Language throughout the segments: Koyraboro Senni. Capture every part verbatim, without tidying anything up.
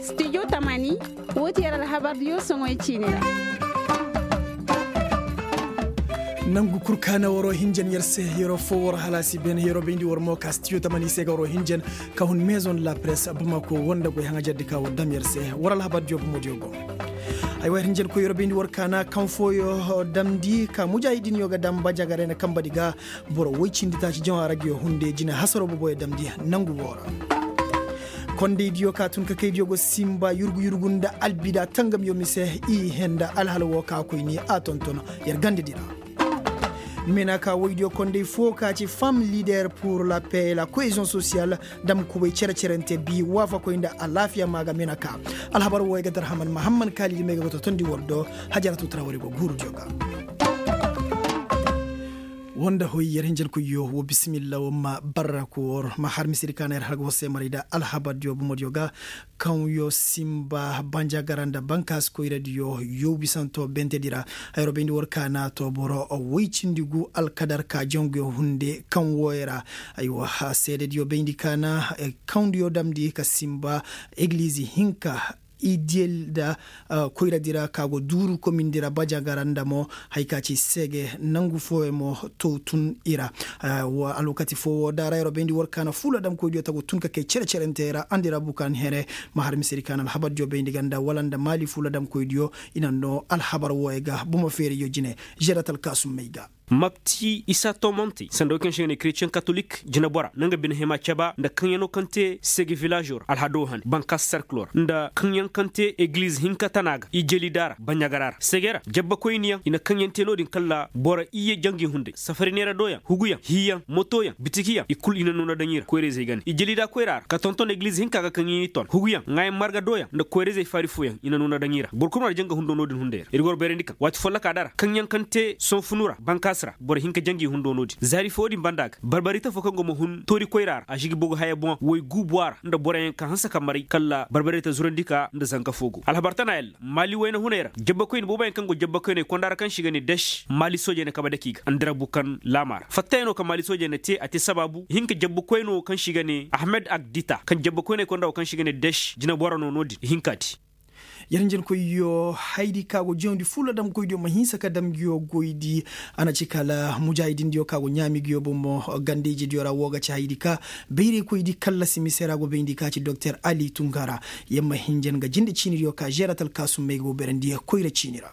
Studio tamani, woo ti yer alhabardiyo soŋoy ciini ra. Nangu kul ka na waroo hinjan yer se, yeroo foo war halaasi ben yeroo bayndi war mo ka studio tamani se ga waroo hinjan, ka hun maison de la presse bamako war nda goy haŋajardi ka war dam yer se. War alhabardiyo bamodiyo go. Aywa yer hinjankoy yeroo bayndi war ka na kaŋ fooyo damndi ka mujaahidinyo ga dam bajagaray na kambadi ga. Boro woy cindi taaci jaŋ a ra ga yo hunde jine hasaroo boboyo damndi nangu woo ra. Kondaydiyo ka tun ka kaydiyo go sinba yurgu yurgu nda albida tangamyo mise i henda alhala woo ka koyni a tonton. Yer gandedi ra meenaka woydiyo konday foo ka ci femme leader pour la paix et la cohésion sociale. Dam kubay cere-cerente bi waafakoy nda alaafiya maa ga meenaka. Alhabar wooyo ga darhaman mahamman kaalidi may ga go totondi war do. Hajaratu tarawari go guurudiyo ga. Woo nda hoy yer hinjankoyyo woo bisimilla woo ma barra koor ma har misiri ka na yer har ga war se maray nda alhabardiyo bomodiyo ga. Kaŋ yo sinba banjagara nda bankaasi koyradiyo yow bisanto bentedi ra. Hayro bayndi war ka na to boro woy cindi gu alkadar ka janguyo hunde kaŋ wooyo ra. Aywa seedediyo bayndi ka na kaŋ diyo damndi ka sinba egiliizi hinka idiyel nda koyradi ra ka go duuru komindi ra bajagara nda mo. Haya ka ci seege nangu fooyaŋ mo to tun i ra. Alwakati foo woo daara yeroo bayndi war ka na fuula damkoydiyo tagu tun ka kay cere-cerentey ra andi ra bukan here. Ma har misedi ka na alhabardiyo bayndi ganda wala nda maali fuula damkoydiyo i na noo alhabar wooyo ga bomo feeriyo jine. Žerat alkaasummey ga. Mapti isa tomontey sanda wey kaŋ se ga ne kretiyeŋ katolik jinebora na nga bine hima caba nda kaŋyanoo kaŋ te sege vilaazoo ra alhadoo hane bankaas serkiloo ra nda kaŋyaŋ kaŋ te egiliz hinka tana ga ijelidaa ra baɲagaraa ra sege ra jabbakoyniyaŋ i na kaŋyaŋ te no-din kala boro iyye jangi hunday safari neeradooyaŋ huguyaŋ hiiyaŋ motoyaŋ bitikiyaŋ i kul i na noo na daŋ i ra koyra-izey gane ijelidaa koyraa ra ka tonton egiliz hinka ga kaŋ i n'i ton huguyaŋ ŋaayaŋ margadooyaŋ nda koyra-izey faari fooyaŋ i na noo na daŋ i ra boro kul no na janga hundo no-din hunday ra ir ga war bayrandi kaŋ waati follokaa dara kaŋyaŋ kaŋ te sohõ funu ra bankaasi ra boro hinka jangi hundo no-din zaari foo din banda ga barbarite foo kaŋ go ma hun toori koyraa ra a si ga bogu haya boŋ way guubuwaa ra nda boroyaŋ ka hanse ka maray kala barbarite zurandi ka nda zanka foo go alhabar tana yalla maali wayna hunay ra jabbakoyne booboyaŋ kaŋ go jabbakoyney konda ra kaŋ se i ga ne des maali soojey na kabe dake i ga andira bukan laamaa ra fattayaŋo kaŋ maali soojey na te a te sabaabu ihinka jabbakoyno kaŋ se i ga ne ahmed agdita kaŋ jabbakoyney konda wo kaŋ se i ga ne des jinebora no no-din ihinka te. Yer hinjankoyyo hayadi ka go jawndi fulla damkoydiyo ma hinsa ka dam nguyo goydi. A na ci kala mujaahidindiyo ka go ɲaami nguyo bomo ganda-ijediyo ra woo ga ci hayadi ka bayraykoydi kallasi mise ra go bayndi ka ci doktor ali tungara. Yer ma hinjan ga jinde ciinidiyo ka žerat alkaasummey go bayrandi koyra ciini ra.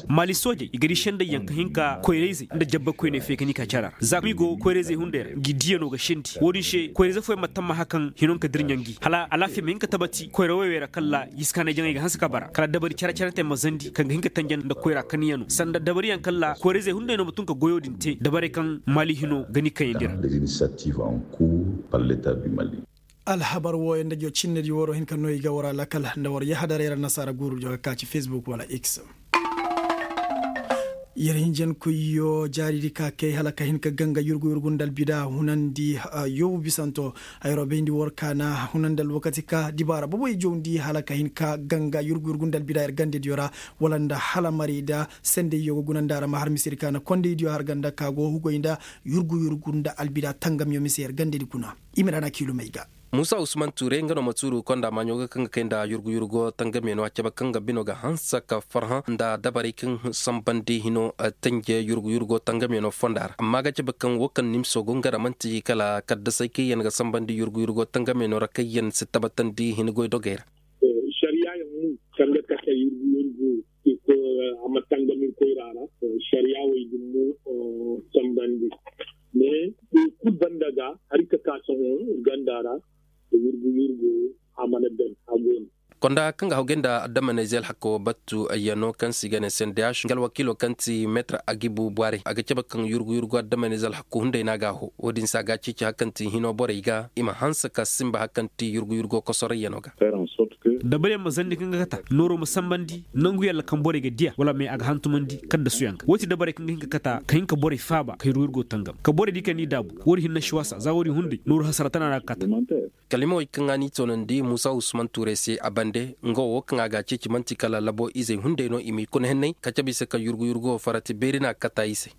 Maali soojey i ga di sendayyaŋ ka hin ka koyra-izey nda jabbakoyney fay ka ni ka cara ra za ka mi go koyra-izey hunday ra ngi diyanoo ga sendi woo-din se koyra-ize fooyaŋ ma tammaha kaŋ hinonka dirɲa ngi hala alaafiya ma hin ka tabati koyra woy wey ra kala yiskaanay jaŋay ga hanse ka bara kala dabari care-carentey ma zandi kaŋ ga hin ka tanjan nda koyra kaniyanoo sanda dabariyaŋ kala koyra-izey hunday no ma tun ka goyoo din te dabarey kaŋ maali hinoo ga ni kayandi ra. Alhabar wooyaŋ nda joo cinnedi waroo hin ka noo i ga war a lakal nda war yahadaray ra nasaara guuru joo ga ka ci fesbuk wala x. Yer hinjankoyyo jaaridi ka kay hala ka hin ka ganga yurgu-yurgu nda albida hunandi. Yoobu bisanto hayroo bayndi war ka na hunandi alwakati ka dibaara boboy jawndi hala ka hin ka ganga yurgu-yurgu nda albida yer gandediyo ra wala nda hala marayda sendayyo ga guna nda ra ma har misedi ka na kondaydiyo har ganda ka go hugoy nda yurgu-yurgu nda albida tangamyo mise yer gandedi kuna. I ma ra na kiilumey ga. Muusa usman tuure nga no ma tuuru konda maaɲo ga kaŋ ga kay nda yurgu-yurgo tangamyanoo a cabe kaŋ ga bino ga hanse ka farhã nda dabarey kaŋ sambandi hino tanje yurgu-yurgo tangamyanoo fonda ra amma a ga cabe kaŋ woo kaŋ nimso go nga ra man'ti kala kaddasey kaŋ yaŋ ga sambandi yurgu-yurgo tangamyanoo ra kaŋ yaŋ si tabbatandi hin goy dogey ra. Sariya yaŋ mu kaŋ ga kate yurgu-yurgo a ma tangam ir koyra ra. Sariya wey din mo sambandi mais kul banda ga hari ka ka sohõ ir ganda ra. Yurgu yurgu a mana ben a go no. Konda kaŋ ga hawgay nda addamanayze alhakko battu ayyano kaŋ se i ga ne sendeyaš nga alwakiilo kaŋ ti meetar agibu bware a ga cabe kaŋ yurgu yurgu addamanayze alhakko hunday no a ga a ho wo-din se a ga a ceeci hari kaŋ ti hino borey ga i ma hanse ka sinba hari kaŋ ti yurgu yurgo kosorayyano ga. Dabariyaŋ ma zandi kaŋ ga kata nooro ma sambandi nangu yalla kaŋ borey ga diya wala me a ga hantumandi kaddasuyaŋ ga wo-ti dabarey kaŋ ga hin ka kata ka hin ka borey faaba ka yurgu yurgo tangam ka borey di kaŋ ni daabu wo-di hinne si wasa za wo-di hunday nooru hasara tana no a ga kata. Kalimawey kaŋ a n'i toonandi muusa usman tuurey se a bande nga wo kaŋ a ga a ceeci man'ti kala labo izey hunday no i m'i kuna henney ka cabe i se kaŋ yurgu yurgo farati beeri no a ga kata i se.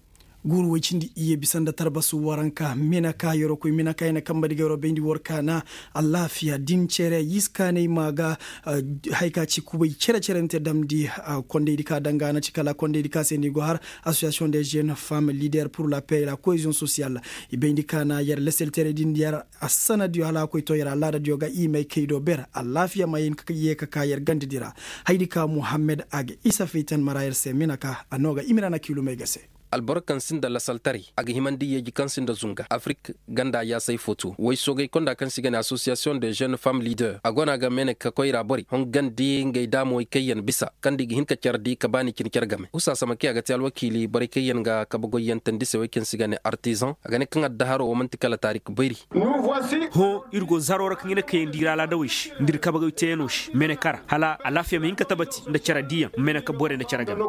Guuru woy cindi iyye bisa nda tarbasu waranka meneka yeroo koy meneka ya na kamba di ga yeroo bayndi war kaana. Alaafiya din cere yiskaanay ma ga. Hay ka ci kubay cere-cerente damndi. Kondaydi ka danga na ci kala kondaydi ka se ni go har, asosiyasiyoŋ de jeune femme leader pur la pey la koyeziyoŋ sosiyal. I bayndi kaana yer leseltere din yer assanadiyo hala a koy to yer alaadadiyo ga i may kay do ber alaafiya ma hin ka ye ka ka yer gandadi ra. Haydi ka muhammed a ga isa faytan mara yer se meneka a no ga i ma ra na kiilumey ga se. Alboro kaŋ sinda lasaltaray a ga himandi yeeji kaŋ sinda zunga afirik ganda yaasay foto way soogay konda kaŋ se i ga ne asosiyasiyoŋ de jeune femme leader a go no a ga mene ka koyra borey hon gandi ngey daamowey kaŋ yaŋ bisa kaŋ da i ga hin ka care di ka baani cine care game husa samake a ga te alwakiili borey kaŋ yaŋ ga kabe goyyantandi se way kaŋ se i ga ne artizan a ga ne kaŋ addaharoo wo man'ti kala taarik bayri. Hõ, ir go zaroo ra ka ɲina kayandi ir alaadawey se nda ir kabe goy teeyanoo se mene kara hala alaafiya ma hin ka tabati nda care diiyaŋ mene ka borey nda care game.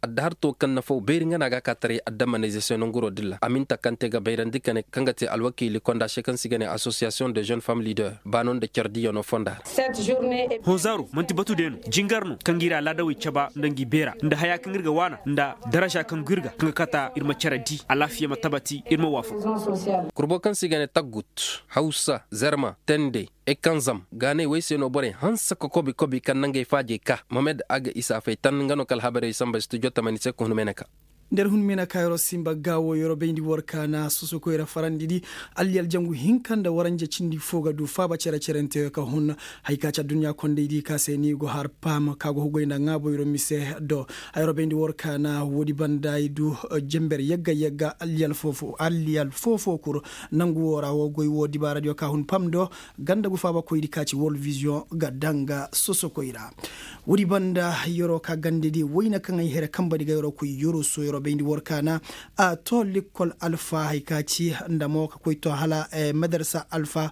Addahartoo kaŋ nafaw bayri nga no a ga a ka taray addamanayze se nanguroo dilla a ma hin ta kaŋ te ga bayrandi ka ne kaŋ ga te alwakiili konda se kaŋ se i ga ne asosiyasiyoŋ de jeune femme leader baanoo nda care diiyanoo fonda ra. Hõ zaaro man'ti batu day no jingar no kaŋ ga ir alaadawey caba nda ngi beera nda hayaa kaŋ ir ga waana nda daraza kaŋ go ir ga kaŋ ga kata ir ma care dii alaafiya ma tabati ir ma waafaku. Kurbo kaŋ se i ga ne taggut hawsa zerma tende ekanzam gaanay wey se no borey hanse ka kobi kobi kaŋ nangey faajey ka mohamed aga isa faytan nga no ka alhabarey samba studio tamani se ka hun meeneka. Nda ir hun meeneka yeroo simba gaawo yeroo bayndi war kaana sosokoy ra farandi di. Alliyal jangu hinka nda waranja cindi fo ga du faaba cere-cerenteyo ka hun. Hay ka ci adduɲɲa kondey di ka se ni go har paam ka go hugoy nda ŋaabo yeroo mise do. Ay robayndi war kaana woodi banda ay du. Jember yagga yagga alliyal foofo alliyal foofo kul. Nangu woo ra woo goy woo dibaaradiyo ka hun pam do. Ganda gu faabakoydi ka ci world vision ga danga sosokoy ra. Woodi banda yeroo ka gandedi wayna kaŋ ay here kambadi ga yeroo koy yeroo so yeroo bayndi war kaana. A to lekkol alfa hay ka ci nda mo ka koy to hala madarsa alfa.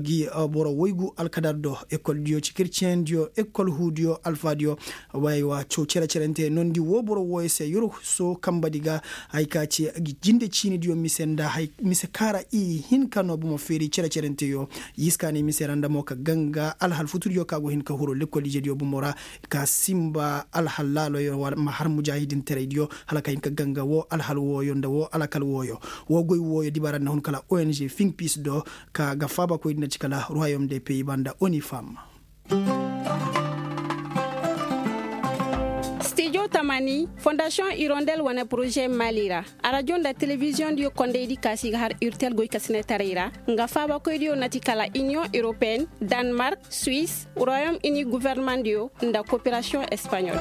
Gi boro waygu alkadar do ekoldiyo ci kirciyendiyo ekol huudiyo alfaadiyo. Waywa caw cere-cerente nondi woo boro wooyo se yurso kambadi ga. Hay ka ci jinde ciinidiyo mise nda mise kaara i hin ka no bomo feeri cere-cerenteyo. Yiskaanay mise ra nda mo ka ganga alhal futudiyo ka go hin ka huru lekkol ijediyo bomo ra. Ka simba alhal laaloyo ma har mujaahidinteraydiyo hala ka hin ka ganga woo alhal wooyo nda woo alakal wooyo. Woo goy wooyo dibaara nda hun kala ong fiŋ piis do. Ka ga faabakoydi na ci kala ruwayom de peyi banda onifam. Stijo tamani fondasiyoŋ irondel wane poroze mali ra. Arajo nda telebiziyoŋ diyo kondaydi ka si ga har irtel goy ka sine taray ra. Nga faabakoydiyo na ti kala iniyoŋ europeen, danmark, suwis, royom ini guvernemandiyo nda koperasiyoŋ espaɲol.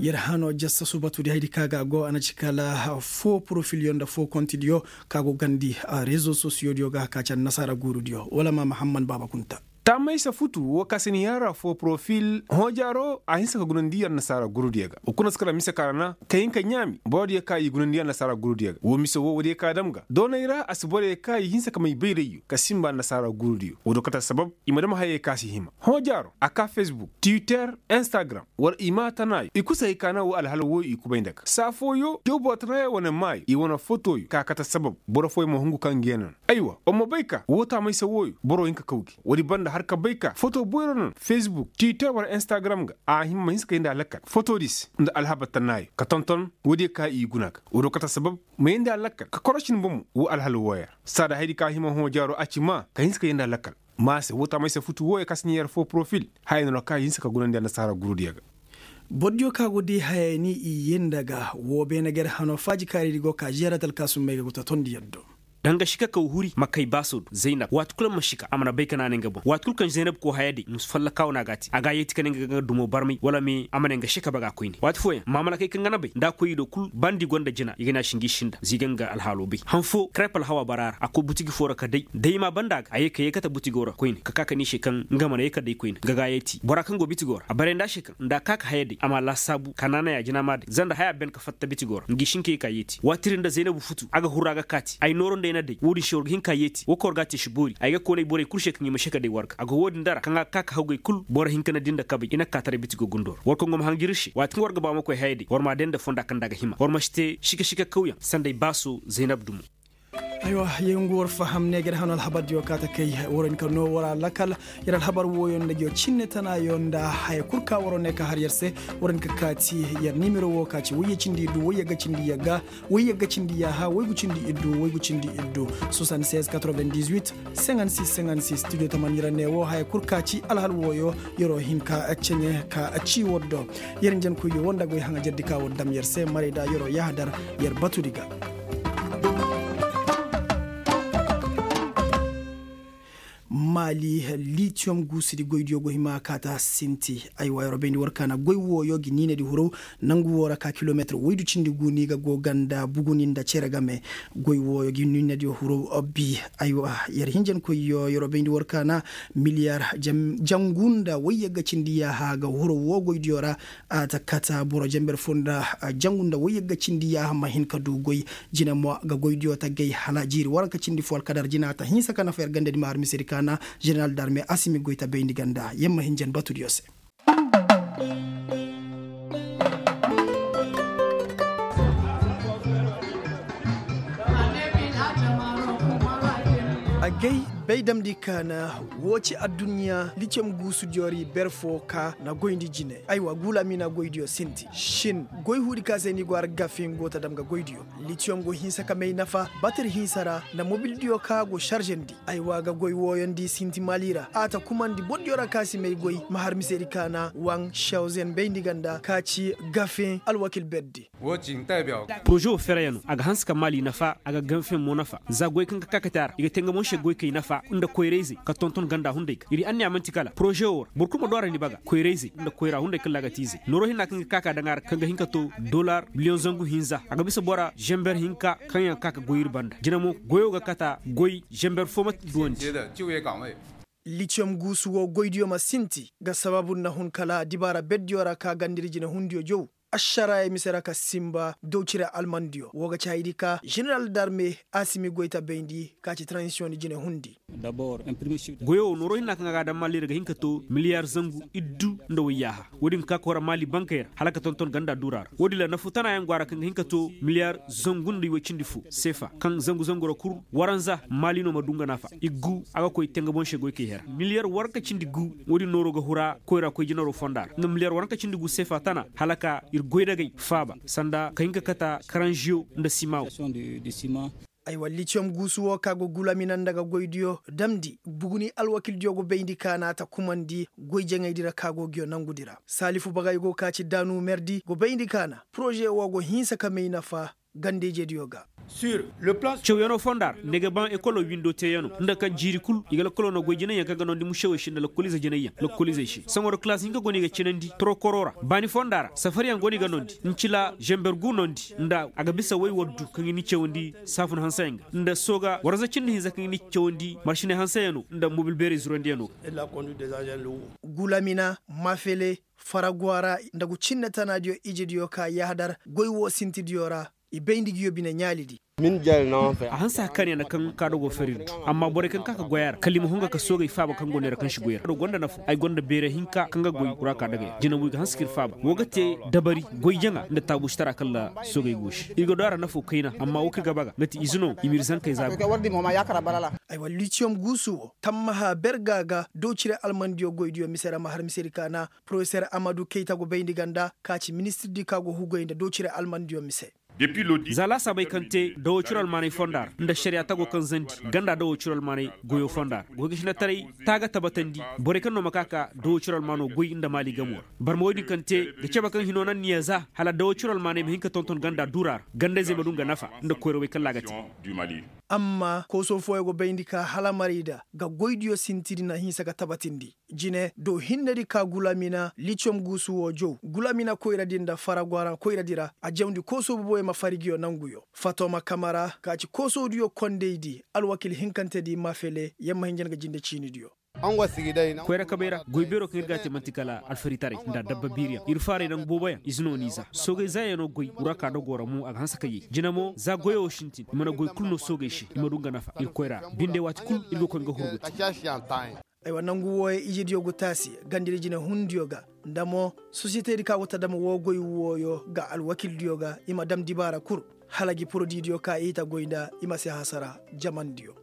Yer hano jassa subatudi haydi ka ga go a na ci kala foo porofilyo nda foo kontidiyo ka go gandi rezo sosiyodiyo ga ka ci annasaara guurudiyo wala ma mahamman baaba kunta. Tamaysa futu woo ka si ni yaŋ ra foo porofil hoojaaro a hinsa ka gunandi annasaara guurudiyo ga woo kuna si kala mise ka ra na ka hin ka ɲaami borodiyo ka i gunandi annasaara guurudiyo ga woo mise woo woodiyo ka dam ga doonay ra a si boroyo ka i hinsa ka may bayrayyo ka sinba annasaara guurudiyo woo do kate sabab i ma dam hayey ka si hima hoojaaro a ka fesbuk twitter instagram war i maa tanaayo i kul si hay ka na woo alhala wooyo i kubay nda ga saa fooyo jaw boro tanaayo wane maayo i wane fotoyo ka kate sabab boro fooyo ma hungu ka ngi yaŋ na. Aywa war ma bay ka woo taamaysa wooyo boro hin ka kaw gi woodi banda har ka bay ka foto boyro na fesbuk twitter war instagram ga a hima ma hinsa ka yee nda a lakkal fotodi se nda alhaba tanaayo ka tonton woodiyo ka i guna ga woo do kate sabab ma yee nda a lakkal ka korosin bomo woo alhala wooyo ra saada haydi ka hima hõ jaaro a ci maa ka hinsa ka yee nda a lakkal. Maa se woo taamaysa futu wooyo ka si ni yer foo porofil haya no ra ka i hinsa ka gunandi annasaara gurudiyo ga. Bordiyo ka go day haya ni i yee nda ga woo beene ga yer hano faajikaaridi go ka žeeratal ka sumbay ga go ta tondi yaddo. Danga šika kaw huri ma kay baasoo do zaynab waati kul ma šika a mana bay ka naanay nga boŋ waati kul kaŋ zaynab koo haya day musu fallakaawo no a g'a te a g'a yeeti ka ne nga ga nga dumo barmay wala me a ma ne nga šika bag'a koyne waati fooyaŋ maamalakey kaŋ ga na bay nda a koy i do kul bandi gonda jina i ga ne a si ngi sinda za i ga nga alhaaloo bay han foo karepal haw a bara a ra a koy butigi foo ra ka day da i ma a banda a ga a ye ka yeekate butigoo ra koyne ka ka ka ne i se kaŋ nga mana yeekate day koyne nga g'a yeeti bora kaŋ go bitigoo ra a bare nda a se kaŋ nda a ka ka haya day a m'a laasaabu ka naanay a jina m'a day za nda haya ben ka fatta bitigoo ra ngi si hin ka ye k'a yeeti waati din nda zaynabu futu a ga huru a ga kaati ay nooro nda ay na day woodin se war ga hin k'a yeeti woo kaŋ war g'a te si boori ay ga koonay borey kul se kaŋ i ma se ka day war ga a go woodin dara kaŋ a ga ka ka hawgay kul boro hinka na di nda kabay i na kaataray bitigoo gundoo ra war kaŋ go ma hanjir ir se waati kaŋ war ga ba war ma koy haya day war m'a day nda fonda kaŋ nda a ga hima war ma si te šika šika kawyaŋ sanda ay baaso zaynab dumo. Aywa, yay ngu war faham ne ga ir hano alhabardiyo ka ta kay. War hin ka no war a lakal. Yer alhabar wooyo nda ngi yo cinne tanayo nda haya kul ka waro ne ka har yer se. War hin ka kaati yer nimero wo ka ci wayye cindi iddu wayye ga cindi yagga wayye ga cindi yaaha waygu cindi iddu waygu cindi iddu. Soixante-seize quatre-vingt-dix-huit cinquante-six cinquante-six studio tamani ra ne wo haya kul ka ci alhal wooyo. Yer'o hin ka ceɲe ka ci war do. Yer njenkoyyo wo nda goy haŋajerdi ka war dam yer se maray da yer'o yahadar yer batudi ga. Maali litiyom guusudi goydiyo go hima kaata sinti. Aywa yer'o bayndi war kaana goy wooyo gi niinadi huraw. Nangu woo ra ka kilometir waydu cindi gu ni ga go ganda buguni nda cere game. Goy wooyo gi niinadi huraw bi. Aywa yer hinjankoyyo yer'o bayndi war kaana miliyar jangu nda wayyagga cindi yaaha ga huraw woo goydiyo ra. A ta kata boro jenber foo nda jangu nda wayyagga cindi yaaha ma hin ka du goy. Jine mo ga goydiyo ta gay hala jiiri waranka cindi foo alkadar jina ta hinsa ka nafa yer gandadi ma har misedi kaana. Jeneral darme asimi goy ta bayndi ganda yer ma hin jen batudiyo se. Agay bay damndi kaana. Woo ci adduɲɲa litiyom guusudiyo ra i ber foo ka na goyndi jine. Aywa guulamina goydiyo sinti shin goy huudi ka se ni go har gafe nga go ta dam ga goydiyo. Litiyom go hinsa ka may nafa batir hinsa ra nda mobildiyo ka go šaržandi. Aywa ga goy wooyo nda i sinti maali ra a ta kumandi bordiyo ra ka si may goy ma har misedi kaana waŋ šawzen bayndi ganda ka ci gafe alwakil berdi. Poroze wo ferayano a ga hanse ka maali nafa a ga ganfen mo nafa za goy kaŋ ga ka kate a ra i ga te nga mo se goykey nafa nda koyrayzey ka tonton ganda hunday ga ir anniya man'ti kala poroze wo ra boro kul ma du a ra ni baga koyrayzey nda koyra hunday kaŋ laagatiizey nooro hinna kaŋ ga ka ka daŋ a ra kaŋ ga hin ka to dolar miliyoŋ zangu hinza a ga bisa bora zenber hinka kaŋ yaŋ ka ka goy ir banda jina mo goyo ga kata goy zenber fo ma duwandi. Litiyom guusu wo goydiyo ma sinti ga sabaabu nda hun kala dibaara berdiyo ra ka ganda ir jinehundiyo jow. Ašaraayey mise ra ka sinba dowcire almandiyo woo ga ci hayadi ka ženeral darme asimi goy ta bayndi ka ci transisiyoŋ di jinehundi. Goyo wo nooro hinna kaŋ a ga a daŋ maali ra ga hin ka to miliyar zangu iddu nda wayyaaha. Woodin ga ka koyra maali bankey ra hala ka tonton ganda duura ra woodin ra nafu tana yaŋ go a ra kaŋ ga hin ka to miliyar zangu nda iway cindi fo seefa kaŋ zangu zangu ra kul waranza maali no ma du nga nafa iggu a ga koy te nga boŋ se goykey hera miliyar waranka cindi gu. Woodin nooro ga hura koyra koy jinaro fonda ra nga miliyar waranka cindi gu seefa tana hala ka ir goydagey faaba sanda ka hin ka kata karanžiyo nda sima wo. Aywa litiyom guusu wo ka go gulamina nda ga goydiyo damndi buguni alwakildiyo go bayndi ka na ta kumandi goy jaŋaydi ra ka go nguyo nangudi ra saalifu bagay go ka ci daanu merdi go bayndi ka na poroze wo go hinsa ka may nafa ganda-ijediyo ga. Cawyanoo fonda ra nda i ga baŋ ekolo windo teeyanoo nda kaŋ jiiri kul i ga lakoloo noo goy jinayyaŋ kaŋ ga noondi mušewey se nda lakoliize jinayyaŋ lakoliizey se saŋo ra kalaas hinka go no i ga cinandi torokoroo ra baani fonda ra safaryaŋ go no i ga noondi ncila zember gu noondi nda a ga bisa woy waddu kaŋ i ni cawandi saafun hanseyaŋ ga nda sooga waranza cindi hinza kaŋ i ni cawandi maršiney hanseyanoo nda mobil beerey zurandiyanoo ga. Gulamina mafele faragwara nda gu cinne tanaadiyo ijediyo ka yahadar goy woo sintidiyo ra. I bay nda i ga yoo bine ɲaalidi. A hanse a kaanyaŋ na kaŋ kaado go fari du. Amma borey kaŋ ka ka goy a ra kala i ma hunga ka soogey faaba kaŋ go neera kaŋ si goy ra kaado gonda nafa ay gonda beere hinka kaŋ ga goy kura ka dagay jinabuy ga hanse ka ir faaba woo ga te dabari goy jaŋa nda taabuusitara kala soogey go se ir ga du a ra nafo kayna amma woo kaŋ ir ga ba ga nga ti ize no i ma ir zankey zaabu. Aywa litiyom guusu woo tammaha berga ga dowcire almandiyo goydiyo mise ra ma har misedi kaana porofeser amadu kayta go bayndi ganda ka ci ministirdi ka go hugoy nda dowcire almandiyo mise. Za laasaabey kaŋ te dawoo ciro almaaney fonda ra nda ašariyaa tago kaŋ zandi ganda dawoo ciro almaaney goyoo fonda ra goy ga sinataray taaga tabatandi borey kaŋ no ma ka ka dawoo ciro almaanoo goy nda maali gamoo ra. Barma woy din kaŋ te ga cebe kaŋ hinoo naŋ niya za hala dawoo ciro almaaney ma hin ka tonton ganda duraa ra ganda-izey ma du nga nafa nda koyrawey kaŋ ra a ga te. Amma koosoo fooyaŋ go bayndi ka hala marayda ga goydiyo sintidi na hinsa ga tabatindi. Jine do hinnedi ka gulamina litiyom guusu woo jaw gulamina koyradi nda faragwara koyradi ra a jawndi koosoo boboyaŋ ma fari nguyo nanguyo. Fatoma kamara ka ci koosoodiyo kondaydi alwakil hinkantedi mafele yamma hinja nga jinde ciinidiyo. Koyra kabay ra goy beeroo kaŋ ir ga a te man'ti kala alfaritaray nda adabba biiriyaŋ ir faarey nangu booboyaŋ ize no n'i za soogey zaayanoo goy wura ka dogoo ra mo a ga hanse ka yee jine mo za goyoo wo sintin i mana goy kul no soogey se i ma du nga nafa ir koyra ra binde waati kul ir ga koy nga hurguti. Aywa nangu wooyo ijediyo go taasi gandadi jinehundiyo ga nda mo sosiyetedi ka go ta dam woo goy wooyo ga alwakildiyo ga i ma dam dibaara kul. hala gi porodiidiyo ka i ta goy nda i ma si hasara jamandiyo.